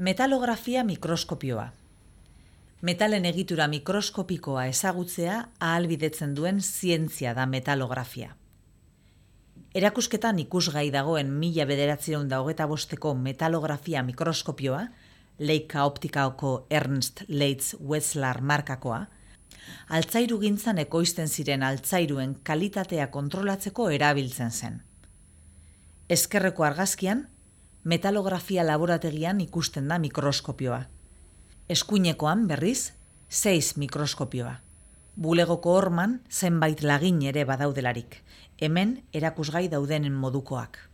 Metalografia mikroskopioa. Metalen egitura mikroskopikoa ezagutzea ahalbidetzen duen zientzia da metalografia. Erakusketan ikusgai dagoen 1925ko metalografia mikroskopioa, Leica Optikako Ernst Leitz Wetzlar markakoa, altzairugintzan ekoizten ziren altzairuen kalitatea kontrolatzeko erabiltzen zen. Ezkerreko argazkian, metalografia laborategian ikusten da mikroskopioa. Eskuinekoan, berriz, 6 mikroskopioa. Bulegoko horman zenbait lagin ere badaudelarik, hemen erakusgai daudenen modukoak.